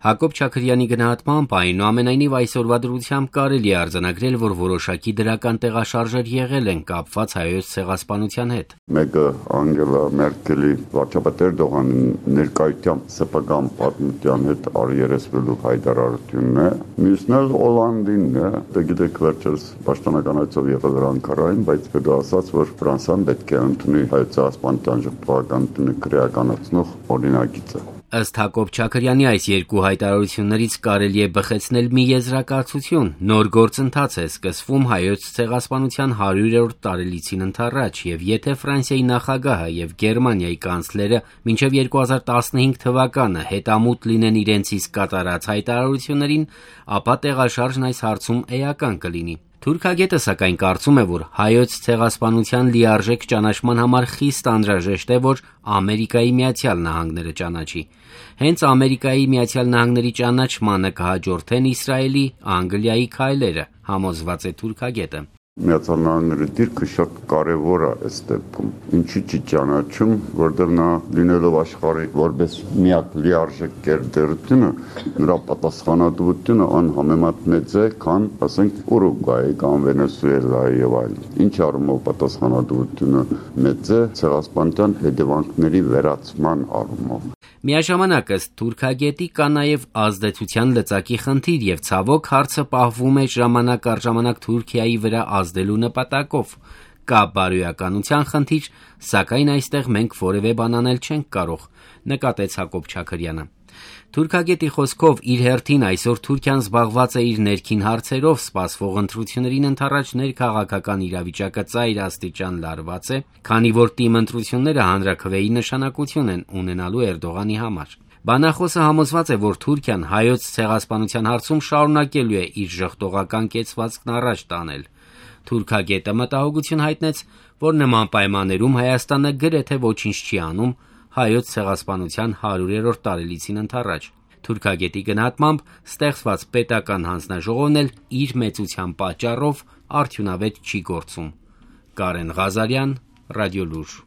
Հակոբ Չաքրյանի գնահատմամբ այնուամենայնիվ այսօրվա դրությամբ կարելի է արձանագրել, որ որոշակի դրական տեղաշարժեր եղել են կապված հայոց ցեղասպանության հետ։ Մեկը Անգելա Մերկելի վարչապետ Էրդողանի ներկայությամբ սեփական պատմության հետ արիերեսվելու հայտարարությունն է։ Մյուսն էլ Օլանդինն է։ Դե գիտեք, վերջերս պաշտոնական այցով եղել էր Անկարային, բայց հետո ասաց, որ Ֆրանսիան պետք է ընդունի հայոց ցեղասպանության ժողովրդականությունը քրեականացնող օրինագիծը։ Ըստ Հակոբ Չաքրյանի այս երկու հայտարարություններից կարելի է բխեցնել մի եզրակացություն. նոր գործընթաց է սկսվում հայոց ցեղասպանության 100-րդ տարելիցին ընդառաջ, եւ եթե Ֆրանսիայի նախագահը եւ Գերմանիայի կանցլերը մինչեւ 2015 թվականը հետամուտ լինեն իրենց իսկ կատարած հայտարարություններին, ապա տեղաշարժն այս հարցում էական կլինի։ Թուրքագետը սակայն կարծում է, որ հայոց ցեղասպանության լիարժեք ճանաչման համար խիստ անհրաժեշտ է, որ Ամերիկայի Միացյալ Նահանգները ճանաչի։ Հենց Ամերիկայի Միացյալ Նահանգների ճանաչմանը կհաջորդեն Իսրայելի, Անգլիայի քայլերը, համոզված է թուրքագետը։ Միացյալ Նահանգների դիրքը շատ կարևոր է այս դեպքում։ Ինչի՞ չի ճանաչում, որտեղ նա լինելով աշխարհի որպես միակ լիարժեք գերտերությունը, նրա պատասխանատվությունը անհամեմատ մեծ է, քան, ասենք, Ուրուգվայի կամ Վենեսուելայի եւ այլն։ Ինչ առումով պատասխանատվությունը մեծ է ցեղասպանության հետևանքների վերացման առումով։ Միաժամանակ ըստ թուրքագետի կա նաև ազդեցության լծակի խնդիր եւ ցավոք հարցը պահվում է ժամանակ առ ժամանակ Թուրքիայի վրա ազդելու նպատակով։ Կա բարոյականության խնդիր, սակայն այստեղ մենք որևէ բան անել չենք կարող, նկատեց Հակոբ Չաքրյանը։ Թուրքագետի խոսքով իր հերթին այսօր Թուրքիան զբաղված է իր ներքին հարցերով, սպասվող ընտրություններին ընդառաջ ներքաղաքական իրավիճակը ծայր աստիճան լարված է, քանի որ թիմ ընտրությունները հանրաքվեի նշանակություն են ունենալու Էրդողանի համար։ Բանախոսը համոզված է, որ Թուրքիան հայոց ցեղասպանության հարցում շարունակելու է իր ժխտողական կեցվածքն առաջ տանել։ Թուրքագետը մտահոգություն հայտնեց, որ նման պայմաններում Հայաստանը գրեթե ոչինչ չի անում հայոց ցեղասպանության 100-րդ տարելիցին ընդառաջ։ Թուրքագետի գնահատմամբ ստեղծված պետական հանձնաժողովն էլ իր մեծության պատճառով արդյունավետ չի գործում։ Կարեն Ղազարյան, Ռադիոլուր։